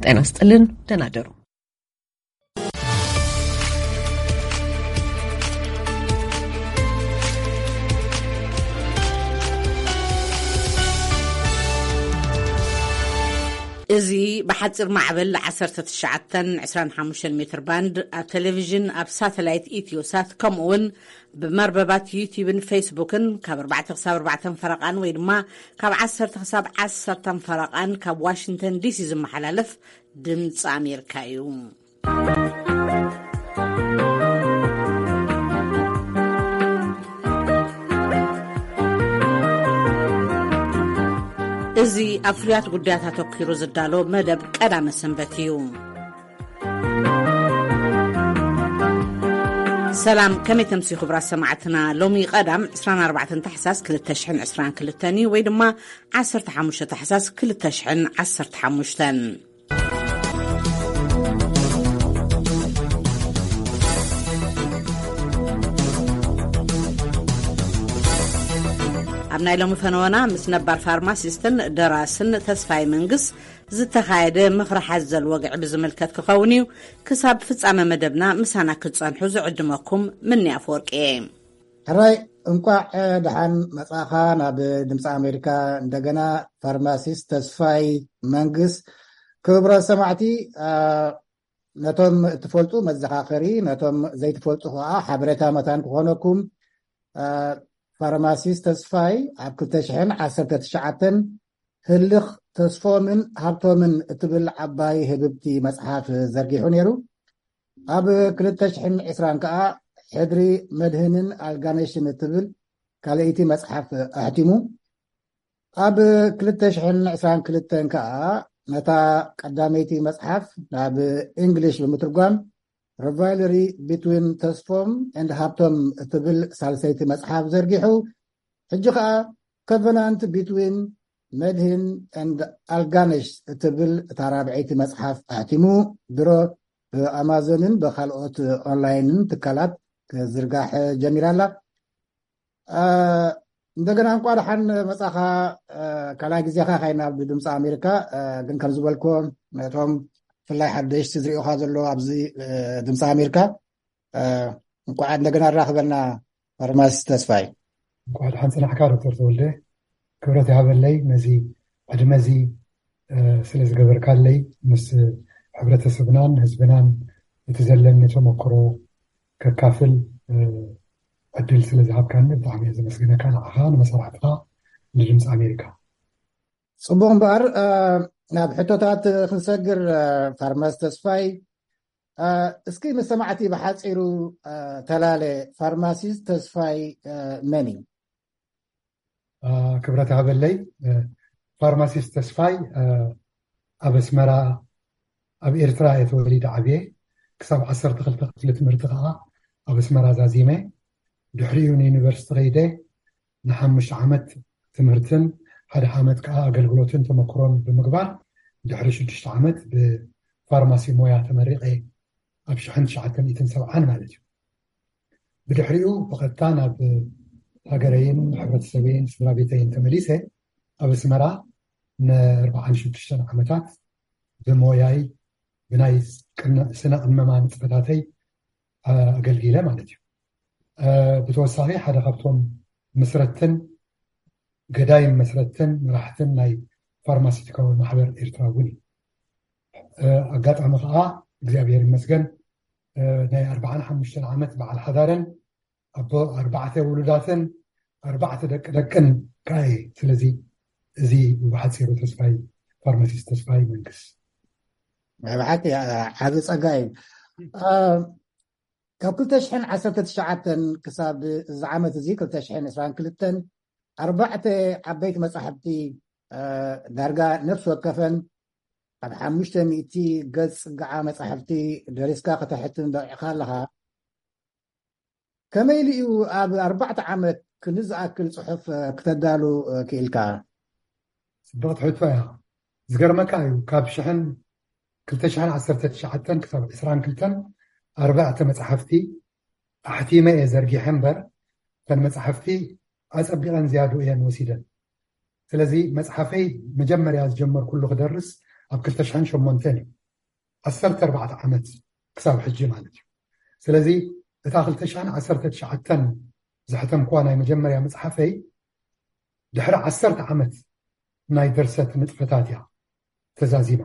ጤና ስጥልን፣ ደህና ደሩ። እዚ ብሓፂር ማዕበል ዓሰርተ ትሽዓተን ዕስራን ሓሙሽተን ሜትር ባንድ ኣብ ቴሌቪዥን ኣብ ሳተላይት ኢትዮሳት ከምኡ እውን ብመርበባት ዩቲዩብን ፌስቡክን ካብ ኣርባዕተ ክሳብ ኣርባዕተን ፈረቓን ወይ ድማ ካብ ዓሰርተ ክሳብ ዓሰርተን ፈረቓን ካብ ዋሽንግተን ዲሲ ዝመሓላለፍ ድምፂ ኣሜሪካ እዩ። እዚ ኣብ ፍሉያት ጉዳያት ኣተኲሩ ዝዳሎ መደብ ቀዳመ ሰንበት እዩ። ሰላም፣ ከመይ ተምሲ ክቡራት ሰማዕትና? ሎሚ ቀዳም ዕስራን ኣርባዕተን ታሕሳስ ክልተ ሽሕን ዕስራን ክልተን እዩ፣ ወይ ድማ ዓሰርተ ሓሙሽተ ታሕሳስ ክልተ ሽሕን ዓሰርተ ሓሙሽተን። ኣብ ናይ ሎሚ ፈነወና ምስ ነባር ፋርማሲስትን ደራስን ተስፋይ መንግስ ዝተኻየደ ምኽሪ ሓዘል ወግዒ ብዝምልከት ክኸውን እዩ። ክሳብ ፍጻመ መደብና ምሳና ክትጸንሑ ዝዕድመኩም ምኒ ኣፈወርቂ እየ። ሕራይ፣ እንቋዕ ደሓን መጻኻ ናብ ድምፂ ኣሜሪካ። እንደገና ፋርማሲስት ተስፋይ መንግስ። ክቡራት ሰማዕቲ፣ አ፣ ነቶም እትፈልጡ መዘኻኸሪ፣ ነቶም ዘይትፈልጡ ከዓ ሓበሬታ መታን ክኾነኩም። አ፣ ፋርማሲስት ተስፋይ ኣብ ክልተ ሽሕን ዓሰርተ ትሽዓተን ህልኽ ተስፎምን ሃብቶምን እትብል ዓባይ ህብብቲ መጽሓፍ ዘርጊሑ ነይሩ። ኣብ ክልተ ሽሕን ዕስራን ከኣ ሕድሪ መድህንን ኣልጋነሽን እትብል ካልኣይቲ መጽሓፍ ኣሕቲሙ። ኣብ ክልተ ሽሕን ዕስራን ክልተን ከኣ ነታ ቀዳመይቲ መጽሓፍ ናብ እንግሊሽ ብምትርጓም ሪቫይለሪ ቢትዊን ተስፎም ኤንድ ሃብቶም እትብል ሳልሰይቲ መጽሓፍ ዘርጊሑ። ሕጂ ከኣ ኮቨናንት ቢትዊን መድህን ኤንድ ኣልጋነሽ እትብል እታ ራብዐይቲ መጽሓፍ ኣሕቲሙ ድሮ ብኣማዞንን ብኻልኦት ኦንላይንን ትካላት ክዝርጋሕ ጀሚራ ኣላ። አ፣ እንደገና እንኳ ደሓን መጻኻ። አ፣ ካልኣይ ግዜኻ ካይና ብድምፂ ኣሜሪካ። አ፣ ግን ከም ዝበልኮ ነቶም ብፍላይ ሓደሽቲ ዝሪኦኻ ዘሎ ኣብዚ፣ አ፣ ድምፂ ኣሜሪካ፣ አ፣ እንኳዕ እንደገና ኣራኽበና ፋርማሲስት ተስፋይ። እንኳዕ ደሓን ጽናሕካ ዶክተር ተወልደ። ክብረት ይሃበለይ ነዚ ዕድመ እዚ፣ እ፣ ስለ ዝገበርካለይ፣ ምስ ሕብረተሰብናን ህዝብናን እቲ ዘለኒ ተመክሮ ከካፍል፣ እ፣ ዕድል ስለ ዝሃብካኒ ብጣዕሚ እየ ዘመስግነካ፣ ንዓኻ፣ ንመሳርሕትኻ፣ ንድምፂ ኣሜሪካ። ጽቡቕ እምበኣር፣ እ፣ ናብ ሕቶታት ክንሰግር፣ እ፣ ፋርማሲስት ተስፋይ፣ እ፣ እስኪ ንሰማዕቲ ብሓጺሩ፣ እ፣ ተላለ። ፋርማሲስት ተስፋይ፣ እ፣ መን እዩ? እ፣ ክብረት ሃበለይ። እ፣ ፋርማሲስት ተስፋይ፣ እ፣ ኣብ ኣስመራ፣ ኣብ ኤርትራ እየ ተወሊደ ዓብየ። ክሳብ ዓሰርተ ክልተ ክፍሊ ትምህርቲ ከኣ ኣብ ኣስመራ ዛዚመ። ድሕሪኡ ንዩኒቨርሲቲ ከይደ ንሓሙሽተ ዓመት ትምህርትን ሓደ ዓመት ከኣ ኣገልግሎትን ተመክሮን ብምግባር ድሕሪ ሽዱሽተ ዓመት ብፋርማሲ ሞያ ተመሪቐ ኣብ ሽሕን ትሽዓተ ሚእትን ሰብዓን ማለት እዩ። ብድሕሪኡ ብቐጥታ ናብ ሃገረይን ሕብረተሰበይን ስድራ ቤተይን ተመሊሰ ኣብ ኣስመራ ንኣርባዓን ሽዱሽተን ዓመታት ብሞያይ ብናይ ቅነ-፣ ስነ ቅመማ ንጥፈታተይ ኣገልጊለ ማለት እዩ። እ፣ ብተወሳኺ ሓደ ካብቶም መስረትን ገዳይም መስረትን መራሕትን ናይ ፋርማሲቲካዊ ማሕበር ኤርትራ እውን እዩ። እ፣ ኣጋጣሚ ከዓ እግዚኣብሔር ይመስገን፣ እ፣ ናይ ኣርባዓን ሓሙሽተን ዓመት በዓል ሓዳርን ኣቦ ኣርባዕተ ውሉዳትን ኣርባዕተ ደቂ ደቅን ከዓ እየ። ስለዚ እዚ ብሓፂሩ ተስፋይ፣ ፋርማሲስት ተስፋይ መንግስ። ናይ ብሓቂ፣ እ፣ ዓቢ ጸጋ እዩ። እ፣ ካብ ክልተ ሽሕን ዓሰርተ ትሽዓተን ክሳብ እዚ ዓመት እዚ ክልተ ሽሕን ዕስራን ክልተን ኣርባዕተ ዓበይቲ መጻሕፍቲ፣ እ፣ ዳርጋ ነፍሲ ወከፈን ኣብ ሓሙሽተ ሚእቲ ገጽ ጽግዓ መጻሕፍቲ ደሪስካ ከተሕትም በቒዕካ ኣለኻ። ከመይ ኢሉ እዩ ኣብ ኣርባዕተ ዓመት ክንዲ ዝኣክል ጽሑፍ፣ እ፣ ክተዳሉ፣ እ፣ ክኢልካ? ጽብቕቲ ሕቶ እያ። ዝገርመካ እዩ፣ ካብ ሽሕን፣ ክልተ ሽሕን ዓሰርተ ትሽዓተን ክሳብ ዕስራን ክልተን ኣርባዕተ መጻሕፍቲ ኣሕቲመ እየ ዘርጊሐ እምበር፣ እተን መጻሕፍቲ ኣጸቢቐን ዝያዱ እየን ወሲደን። ስለዚ መጽሓፈይ መጀመርያ ዝጀመርኩሉ ክደርስ ኣብ ክልተ ሽሕን ሸሞንተን እዩ። ዓሰርተ ኣርባዕተ ዓመት ክሳብ ሕጂ ማለት እዩ። ስለዚ እታ ክልተ ሽሕን ዓሰርተ ትሽዓተን ዘሕተምኩዋ ናይ መጀመርያ መጽሓፈይ ድሕሪ ዓሰርተ ዓመት ናይ ድርሰት ንጥፈታት እያ ተዛዚማ።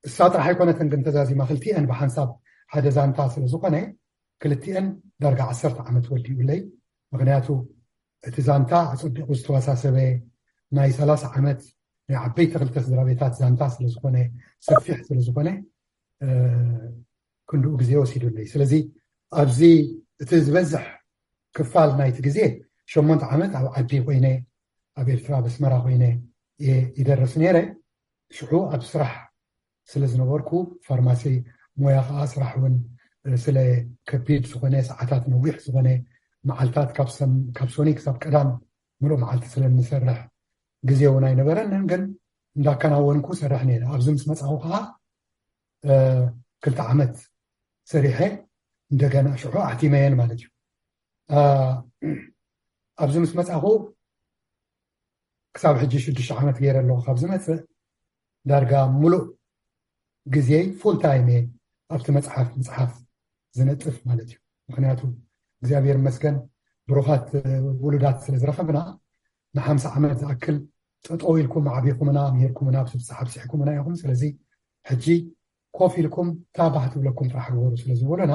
እሳ ጥራሕ ኣይኮነትን ግን ተዛዚማ፣ ክልቲአን ብሓንሳብ ሓደ ዛንታ ስለ ዝኾነ ክልቲአን ዳርጋ ዓሰርተ ዓመት ወዲኡለይ። ምክንያቱ እቲ ዛንታ ኣጸቢቑ ዝተዋሳሰበ ናይ ሰላሳ ዓመት ናይ ዓበይቲ ክልተ ስድራ ቤታት ዛንታ ስለ ዝኾነ፣ ሰፊሕ ስለ ዝኾነ ክንድኡ ግዜ ወሲዱለይ። ስለዚ ኣብዚ እቲ ዝበዝሕ ክፋል ናይቲ ግዜ ሸሞንተ ዓመት ኣብ ዓዲ ኮይነ፣ ኣብ ኤርትራ ኣብ ኣስመራ ኮይነ እየ ይደርስ ነይረ። ሽዑ ኣብ ስራሕ ስለ ዝነበርኩ፣ ፋርማሲ ሞያ ከዓ ስራሕ እውን ስለ ከቢድ ዝኾነ፣ ሰዓታት ነዊሕ ዝኾነ፣ መዓልታት ካብ ሰም- ካብ ሶኒ ክሳብ ቀዳም ምሉእ መዓልቲ ስለ እንሰርሕ ግዜ እውን ኣይነበረንን። ግን እንዳከናወንኩ ሰርሕ ነይረ። ኣብዚ ምስ መጻኹ ከዓ ክልተ ዓመት ሰሪሐ እንደገና ሽዑ ኣሕቲመየን ማለት እዩ። ኣብዚ ምስ መጻኹ ክሳብ ሕጂ ሽዱሽተ ዓመት ገይረ ኣለኹ። ካብ ዝመጽእ ዳርጋ ሙሉእ ግዜይ ፉል ታይም እየ ኣብቲ መጽሓፍ ምጽሓፍ ዝነጥፍ ማለት እዩ። ምክንያቱ እግዚኣብሔር ይመስገን ብሩኻት ውሉዳት ስለ ዝረኸብና ንሓምሳ ዓመት ዝኣክል ጠጠው ኢልኩም ኣዕቢኹምና፣ ምሂርኩምና፣ ኣብዚ ብጽሓ ኣብጺሕኩምና ኢኹም። ስለዚ ሕጂ ኮፍ ኢልኩም እታ ባህ ትብለኩም ጥራሕ ግበሩ ስለ ዝበሉና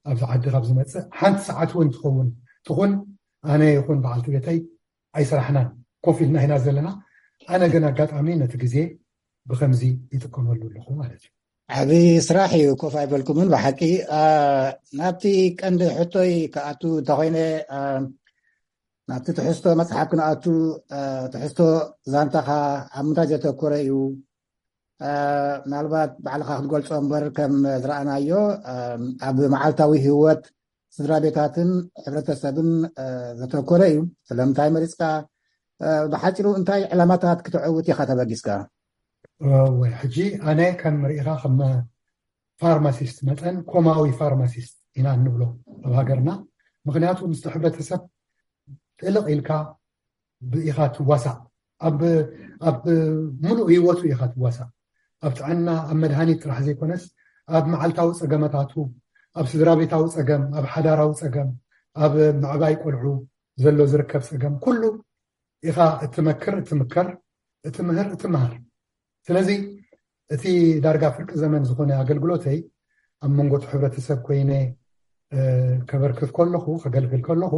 ኣብዚ ዓዲ ካብ ዝመጽእ ሓንቲ ሰዓት እውን ትኸውን ትኹን ኣነ ይኹን በዓልቲ ቤተይ ኣይሰራሕናን፣ ኮፍ ኢልና ኢና ዘለና። ኣነ ግን ኣጋጣሚ ነቲ ግዜ ብከምዚ ይጥቀመሉ ኣለኹ ማለት እዩ። ዓቢ ስራሕ እዩ፣ ኮፍ ኣይበልኩምን ብሓቂ። ናብቲ ቀንዲ ሕቶይ ክኣቱ እንተኮይነ፣ ናብቲ ትሕዝቶ መጽሓፍ ክንኣቱ፣ ትሕዝቶ ዛንታኻ ኣብ ምንታይ ዘተኮረ እዩ? ምናልባት ባዕልኻ ክትገልጾ እምበር ከም ዝረኣናዮ ኣብ መዓልታዊ ህይወት ስድራ ቤታትን ሕብረተሰብን ዘተኮረ እዩ። ስለምንታይ መሪጽካ? ብሓጺሩ እንታይ ዕላማታት ክትዕውት ኢኻ ተበጊስካ? ወይ ሕጂ ኣነ ከም ርኢኻ ከም ፋርማሲስት መጠን ኮማዊ ፋርማሲስት ኢና እንብሎ ኣብ ሃገርና። ምክንያቱ ምስቲ ሕብረተሰብ ጥልቕ ኢልካ ኢኻ ትዋሳእ። ኣብ ኣብ ሙሉእ ህይወቱ ኢኻ ትዋሳእ። ኣብ ጥዕና፣ ኣብ መድሃኒት ጥራሕ ዘይኮነስ ኣብ መዓልታዊ ጸገመታቱ፣ ኣብ ስድራ ቤታዊ ጸገም፣ ኣብ ሓዳራዊ ጸገም፣ ኣብ ምዕባይ ቆልዑ ዘሎ ዝርከብ ጸገም ኩሉ ኢኻ እትመክር፣ እትምከር፣ እትምህር፣ እትመሃር። ስለዚ እቲ ዳርጋ ፍርቂ ዘመን ዝኾነ ኣገልግሎተይ ኣብ መንጎ እቲ ሕብረተሰብ ኮይነ ከበርክት ከለኹ፣ ከገልግል ከለኹ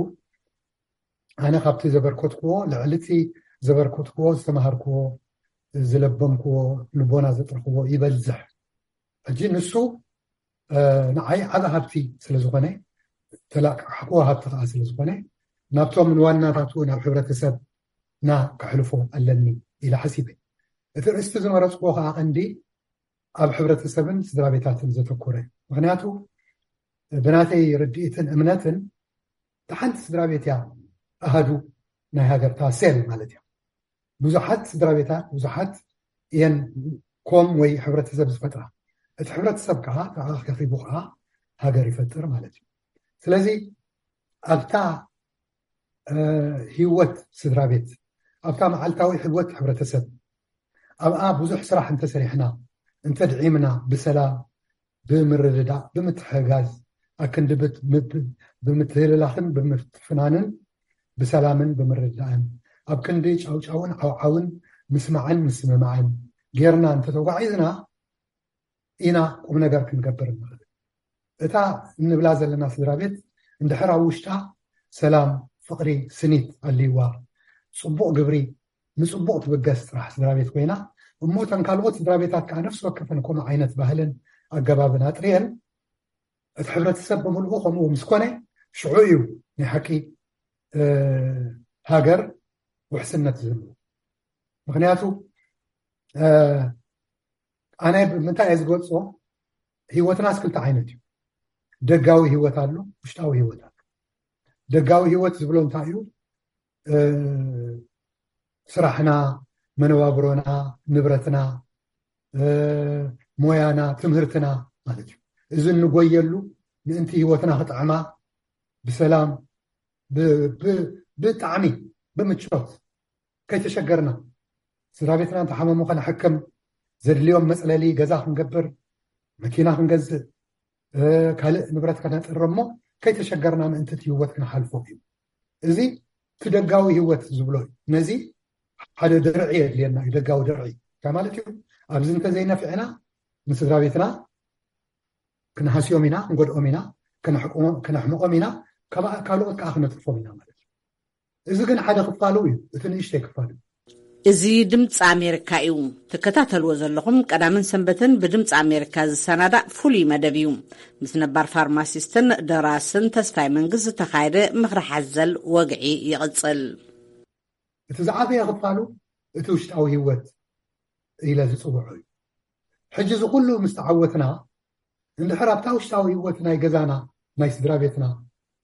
ኣነ ካብቲ ዘበርከትክዎ ልዕሊ እቲ ዘበርከትክዎ ዝተማሃርክዎ ዝለበምክዎ ልቦና ዘጥርክዎ ይበዝሕ። ሕጂ ንሱ ንዓይ ዓቢ ሃብቲ ስለ ዝኾነ ተላቃሕክዎ ሃብቲ ከዓ ስለ ዝኾነ ናብቶም ንዋናታቱ ናብ ሕብረተሰብና ከሕልፎ ኣለኒ ኢለ ሓሲበ። እቲ ርእስቲ ዝመረፅክዎ ከዓ ቀንዲ ኣብ ሕብረተሰብን ስድራ ቤታትን ዘተኮረ። ምክንያቱ ብናተይ ርድኢትን እምነትን እታ ሓንቲ ስድራ ቤት እያ ኣሃዱ ናይ ሃገርታ ሴል ማለት እያ። ብዙሓት ስድራ ቤታት ብዙሓት እየን ኮም ወይ ሕብረተሰብ ዝፈጥራ። እቲ ሕብረተሰብ ከዓ ተኣኻኺቡ ከዓ ሃገር ይፈጥር ማለት እዩ። ስለዚ ኣብታ ህይወት ስድራ ቤት፣ ኣብታ መዓልታዊ ህይወት ሕብረተሰብ ኣብኣ ብዙሕ ስራሕ እንተሰሪሕና፣ እንተድዒምና ብሰላም ብምርድዳእ ብምትሕጋዝ ኣክንዲ ብምትህልላኽን ብምፍትፍናንን ብሰላምን ብምርድዳእን ኣብ ክንዲ ጫውጫውን ዓውዓውን ምስማዕን ምስምማዕን ጌርና እንተተጓዒዝና ኢና ቁም ነገር ክንገብር እንኽእል። እታ እንብላ ዘለና ስድራ ቤት እንድሕር ኣብ ውሽጣ ሰላም፣ ፍቕሪ፣ ስኒት ኣልይዋ፣ ፅቡቕ ግብሪ ንፅቡቕ ትብገስ ጥራሕ ስድራ ቤት ኮይና እሞ እተን ካልኦት ስድራ ቤታት ከዓ ነፍሲ ወከፈን ከምኡ ዓይነት ባህልን ኣገባብን ኣጥርየን እቲ ሕብረተሰብ ብምልኡ ከምኡ ምስ ኮነ ሽዑ እዩ ናይ ሓቂ ሃገር ውሕስነት ዝህልዎ። ምክንያቱ ኣነ ብምንታይ እየ ዝገልፆ? ህይወትናስ ክልተ ዓይነት እዩ። ደጋዊ ህይወት ኣሎ፣ ውሽጣዊ ህይወት ኣሎ። ደጋዊ ህይወት ዝብሎ እንታይ እዩ? ስራሕና፣ መነባብሮና፣ ንብረትና፣ ሞያና፣ ትምህርትና ማለት እዩ። እዚ እንጎየሉ ምእንቲ ህይወትና ክጥዕማ ብሰላም ብጣዕሚ ብምቾት ከይተሸገርና ስድራ ቤትና እንተሓመሙ ከነሕክም፣ ዘድልዮም መፅለሊ ገዛ ክንገብር፣ መኪና ክንገዝእ፣ ካልእ ንብረት ከነጥርሞ ከይተሸገርና ምእንቲ እቲ ህይወት ክንሓልፎ እዩ። እዚ እቲ ደጋዊ ህይወት ዝብሎ እዩ። ነዚ ሓደ ድርዒ የድልየና እዩ። ደጋዊ ድርዒ እንታይ ማለት እዩ? ኣብዚ እንተዘይነፊዕና ንስድራ ቤትና ክንሃስዮም ኢና፣ ክንጎድኦም ኢና፣ ከነሕምቖም ኢና፣ ካልኦት ከዓ ክነትርፎም ኢና ማለት እዩ። እዚ ግን ሓደ ክፋሉ እዩ፣ እቲ ንእሽተይ ክፋሉ። እዚ ድምፂ ኣሜሪካ እዩ። ትከታተልዎ ዘለኹም ቀዳምን ሰንበትን ብድምፂ ኣሜሪካ ዝሰናዳእ ፍሉይ መደብ እዩ። ምስ ነባር ፋርማሲስትን ደራስን ተስፋይ መንግስት ዝተኻየደ ምኽሪ ሓዘል ወግዒ ይቕፅል። እቲ ዝዓበየ ክፋሉ እቲ ውሽጣዊ ህይወት ኢለ ዝፅውዖ እዩ። ሕጂ እዚ ኩሉ ምስ ተዓወትና፣ እንድሕር ኣብታ ውሽጣዊ ህይወት ናይ ገዛና፣ ናይ ስድራ ቤትና፣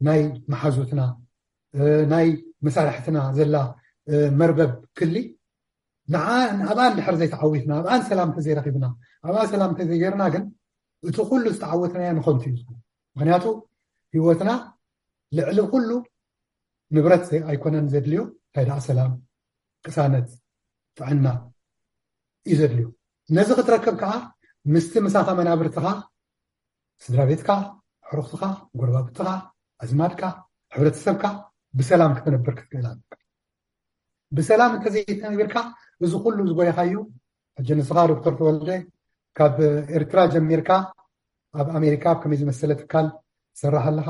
ናይ መሓዙትና፣ ናይ መሳርሕትና ዘላ መርበብ ክሊ፣ ንዓ ኣብኣ እንድሕር ዘይተዓዊትና፣ ኣብኣን ሰላም ተዘይረኺብና፣ ኣብኣ ሰላም ተዘይገርና ግን እቲ ኩሉ ዝተዓወትናዮ ንኸንቱ እዩ ዝኹን። ምክንያቱ ህይወትና ልዕሊ ኩሉ ንብረት ኣይኮነን ዘድልዮ። እንታይ ደኣ ሰላም፣ ቅሳነት፣ ጥዕና እዩ ዘድልዮ። ነዚ ክትረክብ ከዓ ምስቲ ምሳኻ መናብርትኻ፣ ስድራ ቤትካ፣ ሕሩኽትኻ፣ ጎረባብትኻ፣ ኣዝማድካ፣ ሕብረተሰብካ ብሰላም ክትነብር ክትክእል ኣለካ። ብሰላም እንተዘይተነቢርካ እዚ ኩሉ ዝጎየኻዮ፣ ሕጂ ንስኻ ዶክተር ተወልደ ካብ ኤርትራ ጀሚርካ ኣብ ኣሜሪካ ኣብ ከመይ ዝመሰለ ትካል ትሰርሕ ኣለኻ፣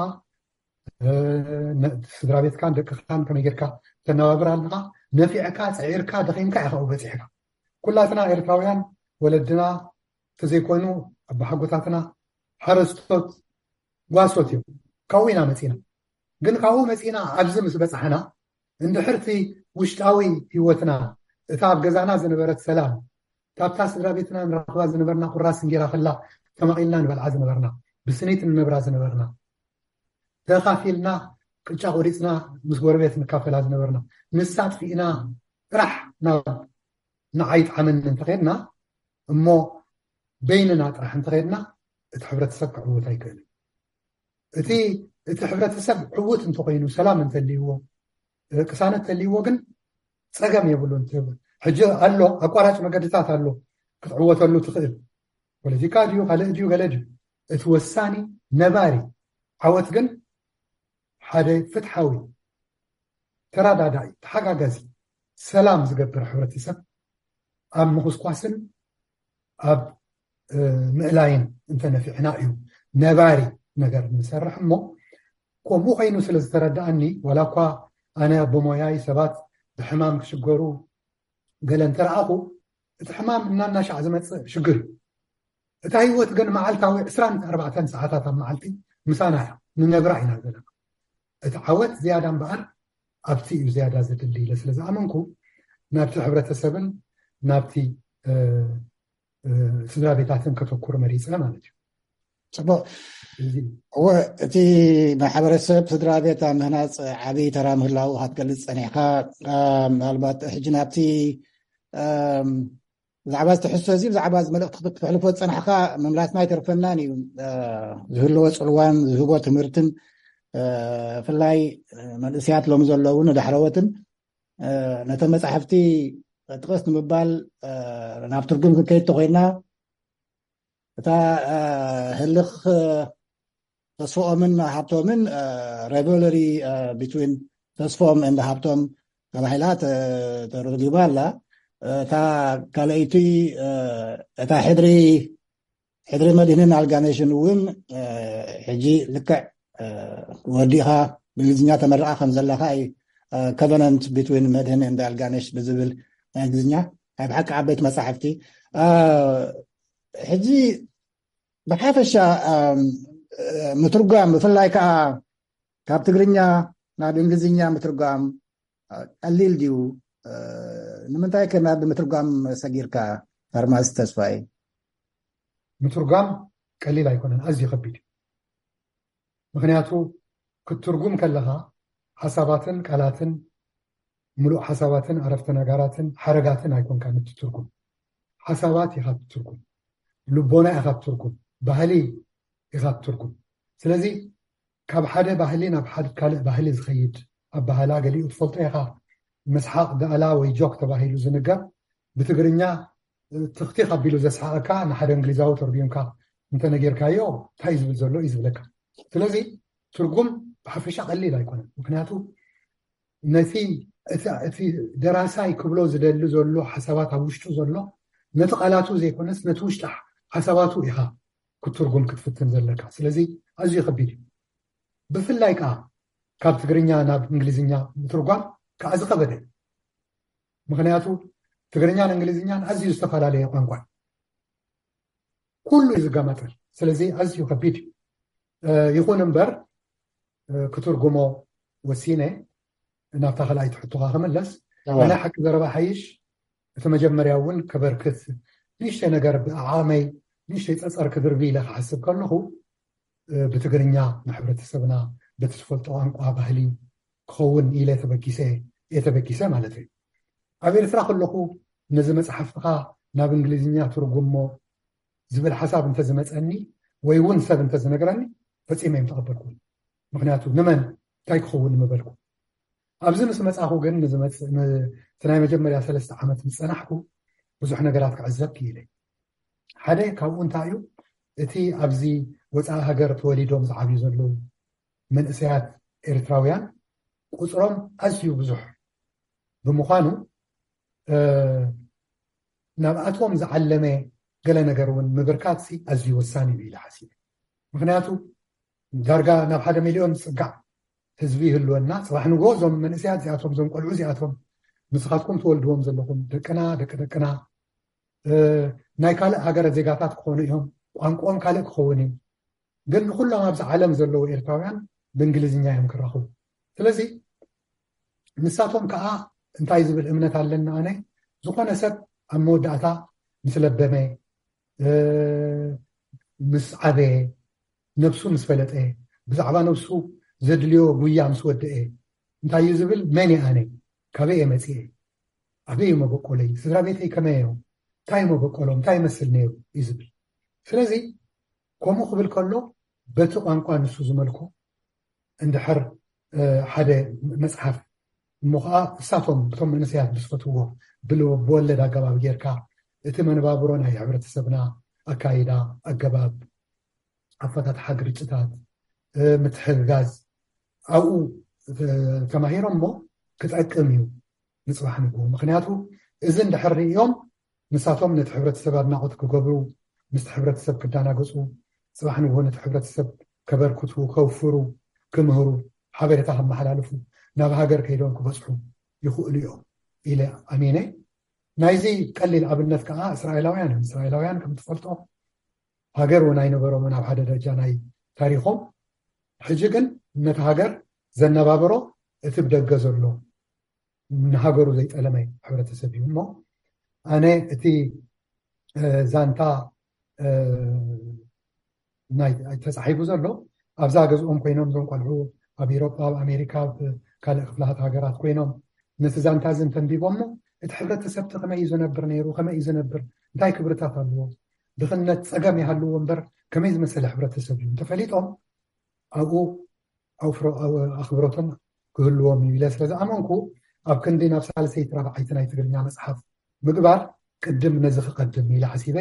ስድራ ቤትካን ደቅኻን ከመይ ጌርካ ተነባብር ኣለኻ። ነፊዕካ፣ ፅዒርካ፣ ደኺምካ ኢኻ ኣብኡ በፂሕካ። ኩላትና ኤርትራውያን ወለድና ተዘይኮይኑ ኣባሓጎታትና ሓረስቶት ጓሶት እዮም። ካብኡ ኢና መፂና። ግን ካብኡ መፂና ኣብዚ ምስ በፃሕና እንድሕርቲ ውሽጣዊ ህይወትና፣ እታ ኣብ ገዛና ዝነበረት ሰላም፣ ካብታ ስድራ ቤትና ንረኽባ ዝነበርና ቁራስ እንጌራ ከላ ተማቒልና ንበልዓ ዝነበርና፣ ብስኒት ንነብራ ዝነበርና፣ ተኻፊልና ቅጫ ቆሪፅና ምስ ጎረቤት ንካፈላ ዝነበርና፣ ንሳ ጥፊእና ጥራሕ ናብ ንዓይ ጣዕመኒ እንተኸድና እሞ በይንና ጥራሕ እንተኸድና እቲ ሕብረተሰብ ክዕውት ኣይክእልን። እቲ እቲ ሕብረተሰብ ዕውት እንተኮይኑ፣ ሰላም እንተልይዎ፣ ቅሳነት ተልይዎ ግን ፀገም የብሉን። ሕጂ ኣሎ፣ ኣቋራጭ መገድታት ኣሎ ክትዕወተሉ ትኽእል። ፖለቲካ ድዩ ካልእ ድዩ ገለ ድዩ፣ እቲ ወሳኒ ነባሪ ዓወት ግን ሓደ ፍትሓዊ፣ ተረዳዳኢ፣ ተሓጋጋዚ፣ ሰላም ዝገብር ሕብረተሰብ ኣብ ምኹስኳስን ኣብ ምእላይን እንተነፊዕና እዩ ነባሪ ነገር ንሰርሕ። እሞ ከምኡ ኮይኑ ስለ ዝተረዳኣኒ፣ ዋላ እኳ ኣነ ብሞያይ ሰባት ብሕማም ክሽገሩ ገለ እንተረኣኹ፣ እቲ ሕማም እናናሻዕ ዝመፅእ ሽግር እዩ። እታ ህይወት ግን መዓልታዊ ዕስራን ኣርባዕተን ሰዓታት ኣብ መዓልቲ ምሳና እያ፣ ንነብራ ኢና ዘለና። እቲ ዓወት ዝያዳ እምበኣር ኣብቲ እዩ ዝያዳ ዘድሊ ኢለ ስለ ዝኣመንኩ፣ ናብቲ ሕብረተሰብን ናብቲ ስድራ ቤታትን ከተኩር መሪፀ ማለት እዩ። ፅቡቅ። እወ፣ እቲ ማሕበረሰብ ስድራ ቤት ኣብ ምህናፅ ዓብዪ ተራ ምህላው ክትገልፅ ፀኒሕካ፣ ምናልባት ሕጂ ናብቲ ብዛዕባ እዚ ትሕዝቶ እዚ፣ ብዛዕባ እዚ መልእኽቲ ክተሕልፎ ዝጸናሕካ ምምላስና ኣይተርፈናን እዩ። ዝህልዎ ጽልዋን ዝህቦ ትምህርትን፣ ብፍላይ መንእሰያት ሎሚ ዘለዉ ንዳሕረዎትን፣ ነተን መጻሕፍቲ ጥቕስ ንምባል ናብ ትርጉም ክንከይድ ተኾይንና፣ እታ ህልኽ ተስፍኦምን ሃብቶምን፣ Rivalry Between ተስፍኦም and ሃብቶም ተባሂላ ተረጊባ ኣላ። እታ ካልኣይቲ፣ እታ ሕድሪ ሕድሪ መድህንን ኣልጋነሽን እውን ሕጂ ልክዕ ወዲኻ ብእንግሊዝኛ ተመርቓ ከም ዘለኻ እዩ። Covenant Between መድህን and ኣልጋነሽ ብዝብል ናይ እንግሊዝኛ ናይ ብሓቂ ዓበይቲ መጻሕፍቲ። ሕጂ ብሓፈሻ ምትርጓም፣ ብፍላይ ከዓ ካብ ትግርኛ ናብ እንግሊዝኛ ምትርጓም ቀሊል ድዩ? ንምንታይ ከ ናብ ምትርጓም ሰጊርካ? ፋርማሲስት ተስፋይ። ምትርጓም ቀሊል ኣይኮነን፣ ኣዝዩ ከቢድ እዩ። ምክንያቱ ክትትርጉም ከለኻ ሓሳባትን ቃላትን፣ ምሉእ ሓሳባትን ዓረፍተ ነጋራትን ሓረጋትን ኣይኮንካን እትትርጉም። ሓሳባት ኢኻ እትትርጉም፣ ልቦና ኢኻ እትትርጉም፣ ባህሊ ኢኻ እትትርጉም። ስለዚ ካብ ሓደ ባህሊ ናብ ሓደ ካልእ ባህሊ ዝኸይድ ኣባህላ ገሊኡ ትፈልጦ ኢኻ። ምስሓቕ ዳእላ ወይ ጆክ ተባሂሉ ዝንገር፣ ብትግርኛ ትኽቲኽ ኣቢሉ ዘስሓቐካ ንሓደ እንግሊዛዊ ተርጉምካ እንተነገርካዮ እንታይ ዝብል ዘሎ እዩ ዝብለካ። ስለዚ ትርጉም ብሓፈሻ ቀሊል ኣይኮነን። ምክንያቱ ነቲ እቲ ደራሳይ ክብሎ ዝደሊ ዘሎ ሓሳባት ኣብ ውሽጡ ዘሎ ነቲ ቃላቱ ዘይኮነስ ነቲ ውሽጢ ሓሳባቱ ኢኻ ክትርጉም ክትፍትን ዘለካ። ስለዚ ኣዝዩ ከቢድ እዩ። ብፍላይ ከዓ ካብ ትግርኛ ናብ እንግሊዝኛ ምትርጓም ከዓ ዝኸበደ እዩ። ምክንያቱ ትግርኛን እንግሊዝኛን ኣዝዩ ዝተፈላለየ ቋንቋ ኩሉ እዩ ዝጋማጠል። ስለዚ ኣዝዩ ከቢድ እዩ። ይኹን እምበር ክትርጉሞ ወሲነ ናብታ ካልኣይቲ ሕቶኻ ክምለስ ናይ ሓቂ ዘረባ ሓይሽ እቲ መጀመርያ እውን ከበርክት ንእሽተይ ነገር ብዓቕመይ ንእሽተይ ፀፀር ክድርቢ ኢለ ክሓስብ ከለኹ ብትግርኛ ንሕብረተሰብና በቲ ዝፈልጦ ቋንቋ ባህሊ ክኸውን ኢለ ተበጊሰ እየ ተበጊሰ ማለት እዩ። ኣብ ኤርትራ ከለኹ ነዚ መፅሓፍትኻ ናብ እንግሊዝኛ ትርጉሞ ዝብል ሓሳብ እንተዝመፀኒ ወይ እውን ሰብ እንተዝነግረኒ ፈፂመ እዮም ተቐበልኩ። ምክንያቱ ንመን እንታይ ክኸውን ምበልኩ። ኣብዚ ምስ መፃኹ ግን እቲ ናይ መጀመርያ ሰለስተ ዓመት ምስ ፀናሕኩ ብዙሕ ነገራት ክዕዘብ ክኢለ። ሓደ ካብኡ እንታይ እዩ እቲ ኣብዚ ወፃኢ ሃገር ተወሊዶም ዝዓብዩ ዘለዉ መንእሰያት ኤርትራውያን ቁፅሮም ኣዝዩ ብዙሕ ብምዃኑ ናብኣቶም ዝዓለመ ገለ ነገር እውን ምብርካት ኣዝዩ ወሳኒ እዩ ኢለ ሓሲበ። ምክንያቱ ዳርጋ ናብ ሓደ ሚልዮን ዝፅጋዕ ህዝቢ ይህልወና። ፅባሕ ንግሆ እዞም መንእሰያት እዚኣቶም እዞም ቆልዑ እዚኣቶም ንስኻትኩም ትወልድዎም ዘለኹም ደቅና ደቂ ደቅና ናይ ካልእ ሃገረ ዜጋታት ክኾኑ እዮም። ቋንቋኦም ካልእ ክኸውን እዩ። ግን ንኩሎም ኣብዚ ዓለም ዘለዉ ኤርትራውያን ብእንግሊዝኛ እዮም ክራኸቡ። ስለዚ ንሳቶም ከዓ እንታይ ዝብል እምነት ኣለና ኣነ ዝኾነ ሰብ ኣብ መወዳእታ ምስ ለበመ ምስ ዓበየ ነብሱ ምስ ፈለጠ ብዛዕባ ነብሱ ዘድልዮ ጉያ ምስ ወደአ እንታይ እዩ ዝብል? መን እየ ኣነ? ካበይ እየ መፅየ? ኣበይ እዩ መበቆለይ? ስድራ ቤተይ ከመይ እዮም? እንታይ እዩ መበቆሎም? እንታይ ይመስል ነይሩ? እዩ ዝብል። ስለዚ ከምኡ ክብል ከሎ በቲ ቋንቋ ንሱ ዝመልኮ እንድሕር ሓደ መፅሓፍ እሞ ከዓ እሳቶም እቶም መንእሰያት ብዝፈትዎ ብወለድ ኣገባብ ጌርካ እቲ መነባብሮ ናይ ሕብረተሰብና ኣካይዳ ኣገባብ ኣፈታትሓ ግርጭታት ምትሕግጋዝ ኣብኡ ተማሂሮም እሞ ክጠቅም እዩ ንፅባሕ ንግሆ። ምክንያቱ እዚ እንድሕር ርእዮም ንሳቶም ነቲ ሕብረተሰብ ኣድናቆት ክገብሩ ምስቲ ሕብረተሰብ ክዳናገፁ ፅባሕ ንግሆ ነቲ ሕብረተሰብ ከበርክቱ ከውፍሩ ክምህሩ ሓበሬታ ከመሓላልፉ ናብ ሃገር ከይዶም ክበፅሑ ይኽእሉ እዮም ኢለ ኣሚነ። ናይዚ ቀሊል ኣብነት ከዓ እስራኤላውያን እዮም። እስራኤላውያን ከም ትፈልጦ ሃገር እውን ኣይነበሮምን ኣብ ሓደ ደረጃ ናይ ታሪኾም። ሕጂ ግን ነቲ ሃገር ዘነባብሮ እቲ ብደገ ዘሎ ንሃገሩ ዘይጠለመ ሕብረተሰብ እዩ። እሞ ኣነ እቲ ዛንታ ናይ ተፃሒፉ ዘሎ ኣብዛ ገዝኦም ኮይኖም እዞም ቆልዑ ኣብ ኢሮጳ ኣብ ኣሜሪካ ኣብ ካልእ ክፍላሃት ሃገራት ኮይኖም ነቲ ዛንታ እዚ እንተንቢቦሞ እቲ ሕብረተሰብ እቲ ከመይ እዩ ዝነብር ነይሩ ከመይ እዩ ዝነብር እንታይ ክብርታት ኣለዎ ድኽነት ፀገም ይሃልዎ እምበር ከመይ ዝመሰለ ሕብረተሰብ እዩ እንተፈሊጦም ኣብኡ ኣኽብሮቶም ክህልዎም እዩ ኢለ ስለ ዝኣመንኩ ኣብ ክንዲ ናብ ሳልሰይቲ ራብዓይቲ ናይ ትግርኛ መፅሓፍ ምግባር ቅድም ነዚ ክቐድም ኢለ ሓሲበ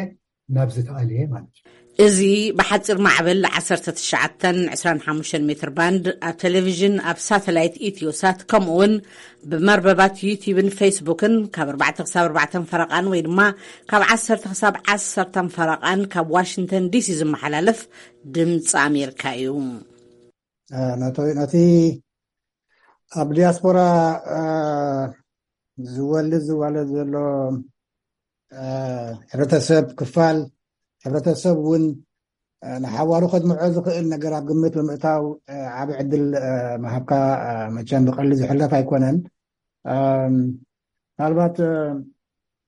ናብዚ ተኣልየ ማለት እዩ። እዚ ብሓፂር ማዕበል ዓሰርተ ትሽዓተ ዕስራን ሓሙሽተን ሜትር ባንድ ኣብ ቴሌቪዥን ኣብ ሳተላይት ኢትዮሳት ከምኡ እውን ብመርበባት ዩቲብን ፌስቡክን ካብ ኣርባዕተ ክሳብ ኣርባዕተን ፈረቓን ወይ ድማ ካብ ዓሰርተ ክሳብ ዓሰርተን ፈረቓን ካብ ዋሽንግተን ዲሲ ዝመሓላለፍ ድምፂ ኣሜሪካ እዩ። ነቲ ኣብ ዲያስፖራ ዝወልድ ዝዋለድ ዘሎ ሕብረተሰብ ክፋል ሕብረተሰብ እውን ንሓዋሩ ከድምዖ ዝኽእል ነገር ኣብ ግምት ብምእታው ዓብ ዕድል ምሃብካ መቸም ብቐሊ ዝሕለፍ ኣይኮነን። ምናልባት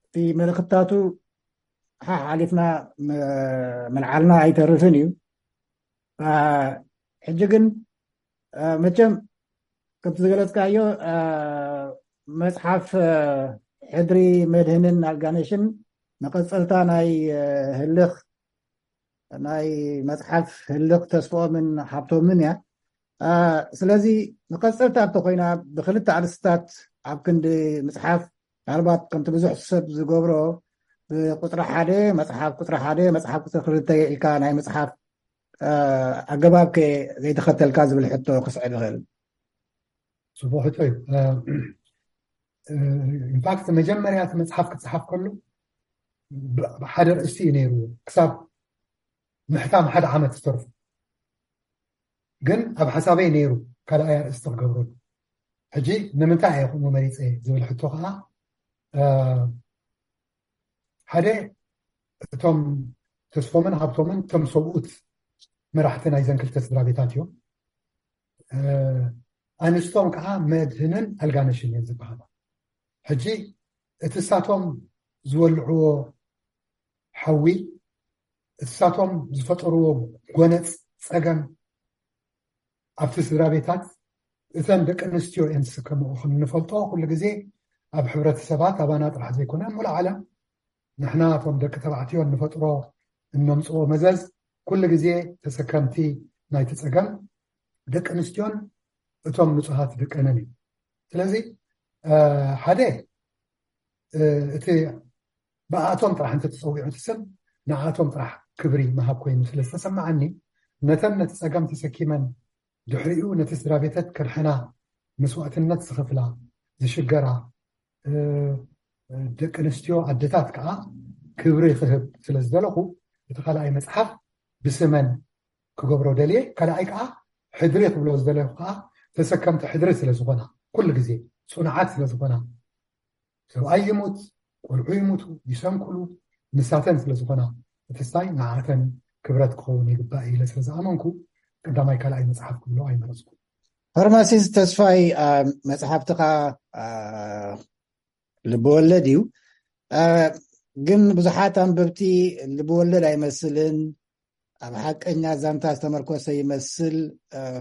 እቲ መልእክትታቱ ሓሓሊፍና ምልዓልና ኣይተርፍን እዩ። ሕጂ ግን መቸም ከምቲ ዝገለፅካዮ መፅሓፍ ሕድሪ መድህንን ኣልጋነሽን መቐፀልታ ናይ ህልኽ ናይ መፅሓፍ ህልኽ ተስፍኦምን ሃብቶምን እያ። ስለዚ መቐፀልታ እንተኮይና ብክልተ ኣርእስትታት ኣብ ክንዲ ምፅሓፍ ምናልባት ከምቲ ብዙሕ ሰብ ዝገብሮ፣ ብቁፅሪ ሓደ መፅሓፍ፣ ቁፅሪ ሓደ መፅሓፍ፣ ቁፅሪ ክልተ ኢልካ ናይ መፅሓፍ ኣገባብ ከ ዘይተኸተልካ ዝብል ሕቶ ክስዕብ ይኽእል። ፅቡቅ ሕቶ እዩ። ኢንፋክት መጀመርያ እቲ መፅሓፍ ክፅሓፍ ከሎ ብሓደ ርእስቲ እዩ ነይሩ። ክሳብ ምሕታም ሓደ ዓመት ዝተርፉ ግን ኣብ ሓሳበይ ነይሩ ካልኣይ ኣርእስቲ ክገብረሉ። ሕጂ ንምንታይ እየ ከምኡ መሪፀ ዝብል ሕቶ ከዓ ሓደ እቶም ተስፎምን ሃብቶምን ከም ሰብኡት መራሕቲ ናይዘን ክልተ ስድራ ቤታት እዮም። ኣንስቶም ከዓ መድህንን ኣልጋነሽን እየን ዝበሃሉ። ሕጂ እቲ እሳቶም ዝወልዕዎ ሓዊ፣ እሳቶም ዝፈጠርዎ ጎነፅ ፀገም ኣብቲ ስድራ ቤታት እተን ደቂ ኣንስትዮ እየን ዝስከምኦ። ክንፈልጦ ኩሉ ግዜ ኣብ ሕብረተሰባት ኣባና ጥራሕ ዘይኮነ ሙሉ ዓለም ንሕና እቶም ደቂ ተባዕትዮ እንፈጥሮ እነምፅኦ መዘዝ ኩሉ ግዜ ተሰከምቲ ናይቲ ፀገም ደቂ ኣንስትዮን እቶም ንፁሃት ደቀንን እዩ። ስለዚ ሓደ እቲ ብኣቶም ጥራሕ እንተተፀዊዑ እቲ ስም ንኣቶም ጥራሕ ክብሪ ምሃብ ኮይኑ ስለ ዝተሰማዓኒ ነተን ነቲ ፀገም ተሰኪመን ድሕሪኡ ነቲ ስድራ ቤተት ከድሕና መስዋእትነት ዝኸፍላ ዝሽገራ ደቂ ኣንስትዮ ኣደታት ከዓ ክብሪ ክህብ ስለ ዝደለኹ እቲ ካልኣይ መፅሓፍ ብስመን ክገብሮ ደልየ። ካልኣይ ከዓ ሕድሪ ክብሎ ዝደለኹ ከዓ ተሰከምቲ ሕድሪ ስለ ዝኾና ኩሉ ግዜ ፅኑዓት ስለ ዝኾና ሰብኣይ ይሙት ቆልዑ ይሙቱ ይሰንኩሉ ንሳተን ስለ ዝኾና እቲ ስታይ ንዓተን ክብረት ክኸውን ይግባእ ኢለ ስለ ዝኣመንኩ ቀዳማይ ካልኣይ መፅሓፍ ክብሎ ኣይመረፅኩ። ፋርማሲስት ተስፋይ መፅሓፍትኻ ልብወለድ እዩ፣ ግን ብዙሓት ኣንበብቲ ልብወለድ ኣይመስልን፣ ኣብ ሓቀኛ ዛንታ ዝተመርኮሰ ይመስል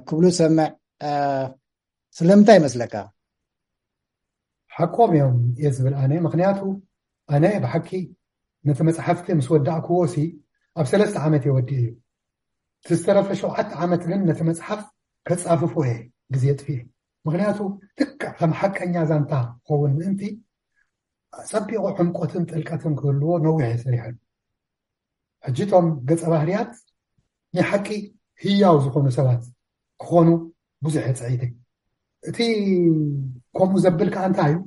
ክብሉ ሰምዕ። ስለምንታይ ይመስለካ? ሓቆም እዮም እየ ዝብል ኣነ። ምክንያቱ ኣነ ብሓቂ ነቲ መፅሓፍቲ ምስ ወዳእክዎ ሲ ኣብ ሰለስተ ዓመት እየ ወዲእ እዩ። እቲ ዝተረፈ ሸውዓተ ዓመት ግን ነቲ መፅሓፍ ከፃፍፎ እየ ግዜ የጥፍእ። ምክንያቱ ልክዕ ከም ሓቀኛ ዛንታ ክኸውን ምእንቲ ፀቢቑ ዕምቆትን ጥልቀትን ክህልዎ ነዊሕ እየ ሰሪሐሉ። ሕጂ እቶም ገፀ ባህርያት ናይ ሓቂ ህያው ዝኾኑ ሰባት ክኾኑ ብዙሕ እየ ፀዒተ። እቲ ከምኡ ዘብል ከዓ እንታይ እዩ?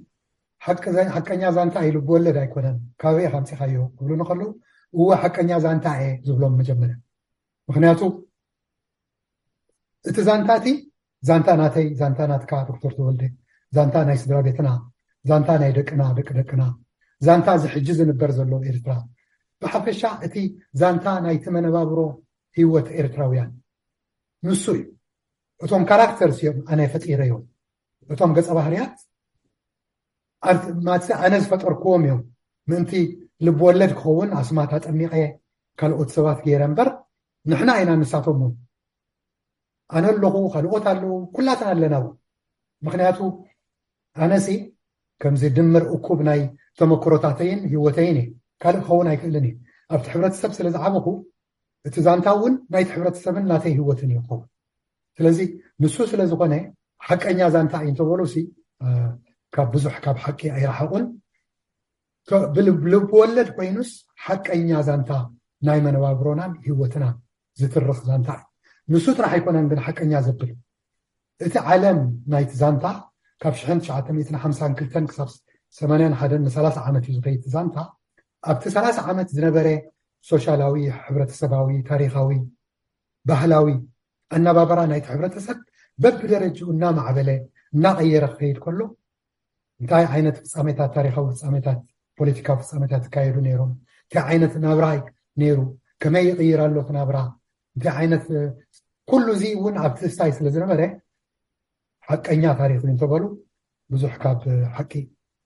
ሓቂ ዘ- ሓቀኛ ዛንታ እዩ፣ ልብወለድ ኣይኮነን፣ ካበይ ኢኻ ኣምፂኻዮ ክብሉ ንከለዉ እወ ሓቀኛ ዛንታ እየ ዝብሎም መጀመርያ። ምክንያቱ እቲ ዛንታ እቲ ዛንታ ናተይ፣ ዛንታ ናትካ ዶክተር ተወልደ፣ ዛንታ ናይ ስድራ ቤትና፣ ዛንታ ናይ ደቅና ደቂ ደቅና፣ ዛንታ እዚ ሕጂ ዝንበር ዘሎ ኤርትራ፣ ብሓፈሻ እቲ ዛንታ ናይቲ መነባብሮ ህይወት ኤርትራውያን ንሱ እዩ። እቶም ካራክተርስ እዮም ኣነ ፈጢረዮም። እቶም ገፀ ባህርያት ኣርት ማትሰ ኣነ ዝፈጠርክዎም እዮም። ምእንቲ ልብ ወለድ ክኸውን ኣስማት ኣጠሚቐ ካልኦት ሰባት ገይረ እምበር ንሕና ኢና ንሳቶም እውን። ኣነ ኣለኹ፣ ካልኦት ኣለዉ፣ ኩላትና ኣለና እውን። ምክንያቱ ኣነሲ ከምዚ ድምር እኩብ ናይ ተመክሮታተይን ህይወተይን እዩ። ካልእ ክኸውን ኣይክእልን እዩ። ኣብቲ ሕብረተሰብ ስለ ዝዓበኹ እቲ ዛንታ እውን ናይቲ ሕብረተሰብን ናተይ ህይወትን እዩ ክኸውን። ስለዚ ንሱ ስለ ዝኾነ ሓቀኛ ዛንታ እዩ እንተበሉ ሲ ካብ ብዙሕ ካብ ሓቂ ኣይረሓቑን። ልብ ወለድ ኮይኑስ ሓቀኛ ዛንታ ናይ መነባብሮናን ህይወትናን ዝትርኽ ዛንታ እዩ። ንሱ ጥራሕ ኣይኮነን ግን ሓቀኛ ዘብል እቲ ዓለም ናይቲ ዛንታ ካብ ሽሕን ትሽዓተ ሚእትን ሓምሳን ክልተን ክሳብ ሰማንያን ሓደን ንሰላሳ ዓመት እዩ ዝኸይድ ዛንታ። ኣብቲ ሰላሳ ዓመት ዝነበረ ሶሻላዊ፣ ሕብረተሰባዊ፣ ታሪኻዊ፣ ባህላዊ ኣነባበራ ናይቲ ሕብረተሰብ በብደረጅኡ እናማዕበለ እናቐየረ ክኸይድ ከሎ እንታይ ዓይነት ፍፃሜታት፣ ታሪኻዊ ፍፃሜታት፣ ፖለቲካዊ ፍፃሜታት ይካየዱ ነይሮም፣ እንታይ ዓይነት ናብራ ነይሩ፣ ከመይ ይቕይር ኣሎ እቲ ናብራ፣ እንታይ ዓይነት ኩሉ እዚ እውን ኣብቲ ስታይ ስለ ዝነበረ ሓቀኛ ታሪክ እንተበሉ ብዙሕ ካብ ሓቂ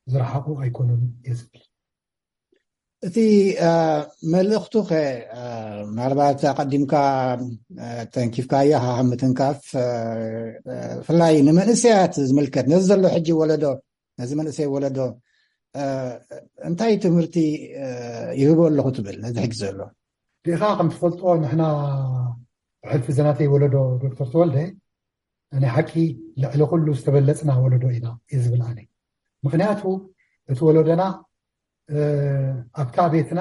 ዝረሓቑ ኣይኮኑን እየ ዝብል። እቲ መልእኽቱ ከ ምናልባት ኣቐዲምካ ተንኪፍካዮ ሃሃ ምትንካፍ ብፍላይ ንመንእሰያት ዝምልከት ነዚ ዘሎ ሕጂ ወለዶ ነዚ መንእሰይ ወለዶ እንታይ ትምህርቲ ይህቦ ኣለኹ ትብል ነዚ ሕጂ ዘሎ? ዲኻ ከም ትፈልጦ ንሕና ብሕልፊ ዘናተይ ወለዶ ዶክተር ተወልደ ናይ ሓቂ ልዕሊ ኩሉ ዝተበለፅና ወለዶ ኢና እየ ዝብል ኣነ። ምክንያቱ እቲ ወለዶና ኣብታ ቤትና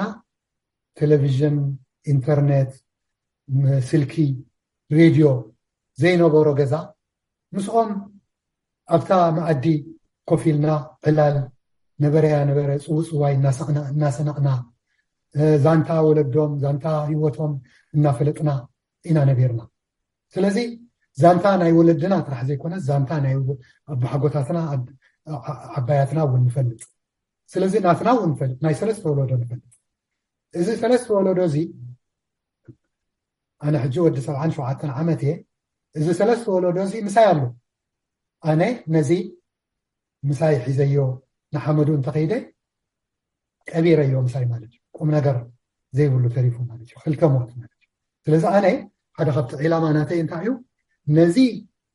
ቴሌቪዥን፣ ኢንተርኔት፣ ስልኪ፣ ሬድዮ ዘይነበሮ ገዛ ምስኦም ኣብታ መኣዲ ኮፍ ኢልና ዕላል ነበረያ ነበረ ጽውጽዋይ እናሰቕና እናሰነቕና ዛንታ ወለዶም ዛንታ ህይወቶም እናፈለጥና ኢና ነቢርና። ስለዚ ዛንታ ናይ ወለድና ጥራሕ ዘይኮነ ዛንታ ናይ ኣቦሓጎታትና ዓባያትና እውን ንፈልጥ። ስለዚ ናትና እውን ንፈልጥ፣ ናይ ሰለስተ ወለዶ ንፈልጥ። እዚ ሰለስተ ወለዶ እዚ ኣነ ሕጂ ወዲ ሰብዓን ሸውዓተን ዓመት እየ። እዚ ሰለስተ ወለዶ እዚ ምሳይ ኣሎ። ኣነ ነዚ ምሳይ ሒዘዮ ንሓመዱ እንተኸይደ ቀቢረዮ ምሳይ ማለት እዩ። ቁም ነገር ዘይብሉ ተሪፉ ማለት እዩ። ክልተ ሞት ማለት እዩ። ስለዚ ኣነ ሓደ ካብቲ ዒላማ ናተይ እንታይ እዩ፣ ነዚ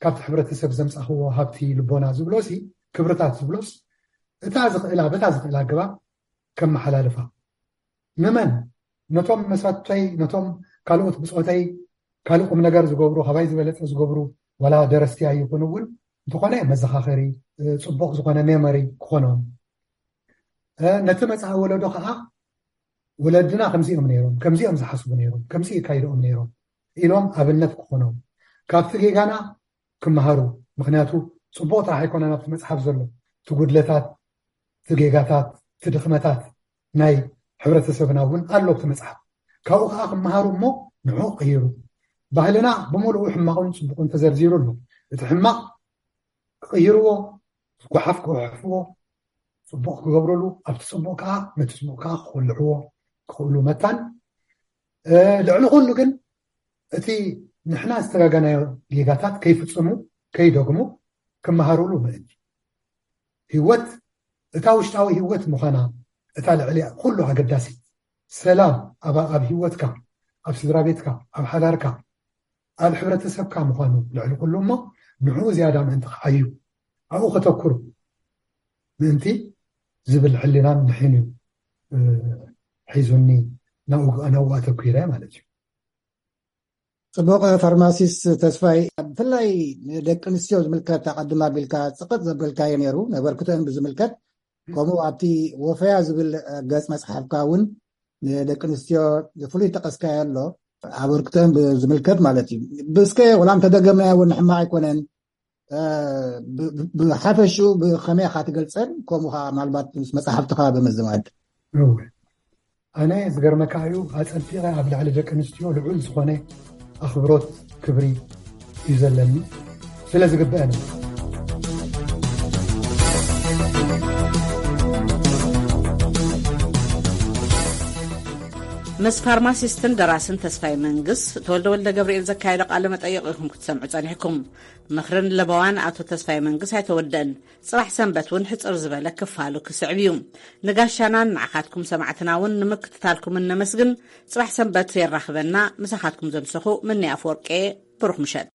ካብቲ ሕብረተሰብ ዘምጻኽዎ ሃብቲ ልቦና ዝብሎሲ፣ ክብርታት ዝብሎስ፣ እታ ዝኽእላ በታ ዝኽእላ ኣገባብ ከመሓላልፋ። ንመን? ነቶም መሳቱተይ፣ ነቶም ካልኦት ብጾተይ ካልእ ቁም ነገር ዝገብሩ፣ ካባይ ዝበለጸ ዝገብሩ፣ ዋላ ደረስቲ ኣይኹኑ እውን እንተኾነ መዘኻኸሪ፣ ጽቡቕ ዝኾነ ሜሞሪ ክኾኖም። ነቲ መጻኢ ወለዶ ከዓ ወለድና ከምዚኦም ነይሮም፣ ከምዚኦም ዝሓስቡ ነይሮም፣ ከምዚ ይካይድኦም ነይሮም ኢሎም ኣብነት ክኾኖም፣ ካብቲ ጌጋና ክመሃሩ። ምክንያቱ ጽቡቕ ጥራሕ ኣይኮነን ኣብቲ መጽሓፍ ዘሎ፣ እቲ ጉድለታት፣ እቲ ጌጋታት፣ እቲ ድኽመታት ናይ ሕብረተሰብና እውን ኣሎ ኣብቲ መጽሓፍ። ካብኡ ከዓ ክመሃሩ እሞ ንዕኡ ክቕይሩ። ባህልና ብምሉኡ ሕማቕን ጽቡቕን ተዘርዚሩ ኣሎ። እቲ ሕማቕ ክቕይርዎ፣ ዝጓሓፍ ክውሕፍዎ፣ ጽቡቕ ክገብርሉ፣ ኣብቲ ጽቡቕ ከዓ ነቲ ጽቡቕ ከዓ ክኹልዕዎ ክኽእሉ መታን ልዕሊ ኩሉ ግን እቲ ንሕና ዝተጋገናዮ ጌጋታት ከይፍጽሙ ከይደግሙ ክመሃሩሉ ምእንቲ። ህይወት እታ ውሽጣዊ ህይወት ምዃና እታ ልዕሊ ኩሉ ኣገዳሲት ሰላም ኣብ ኣብ ህይወትካ ኣብ ስድራ ቤትካ ኣብ ሓዳርካ ኣብ ሕብረተሰብካ ምዃኑ ልዕሊ ኩሉ እሞ ንዕኡ ዝያዳ ምእንቲ ክዓዩ ኣብኡ ከተኩሩ ምእንቲ ዝብል ሕሊናን ንሕን እዩ ሒዙኒ ናብኡ ኣተኲረ ማለት እዩ። ጽቡቕ ፋርማሲስት ተስፋይ፣ ብፍላይ ንደቂ ኣንስትዮ ዝምልከት ኣቐድም ኣቢልካ ጽቕጥ ዘበልካዮ ነይሩ። ነበርክተን ብዝምልከት ከምኡ ኣብቲ ወፈያ ዝብል ገጽ መጽሓፍካ እውን ንደቂ ኣንስትዮ ፍሉይ ጠቐስካዮ ኣሎ። ኣበርክተን ብዝምልከት ማለት እዩ። ብስከ ወላ እንተደገምናዮ እውን ሕማቕ ኣይኮነን። ብሓፈሽኡ ብኸመይ ኢኻ ትገልጸን? ከምኡ ኸዓ ምናልባት ምስ መጽሓፍትኻ ብምዝማድ። እወ፣ ኣነ ዝገርመካ እዩ ኣጸቢቐ ኣብ ልዕሊ ደቂ ኣንስትዮ ልዑል ዝኾነ ኣኽብሮት ክብሪ እዩ ዘለኒ፣ ስለ ዝግበአን። ምስ ፋርማሲስትን ደራስን ተስፋይ መንግስ ተወልደ ወልደ ገብርኤል ዘካየዶ ቃለ መጠይቕ ኢኹም ክትሰምዑ ጸኒሕኩም። ምኽርን ለበዋን ኣቶ ተስፋይ መንግስ ኣይተወደእን። ጽባሕ ሰንበት እውን ሕጽር ዝበለ ክፋሉ ክስዕብ እዩ። ንጋሻናን ንዓኻትኩም ሰማዕትና እውን ንምክትታልኩም እነመስግን። ጽባሕ ሰንበት የራኽበና። ምሳኻትኩም ዘምሰኹ ምኒ ኣፈወርቄ። ብሩኽ ምሸት።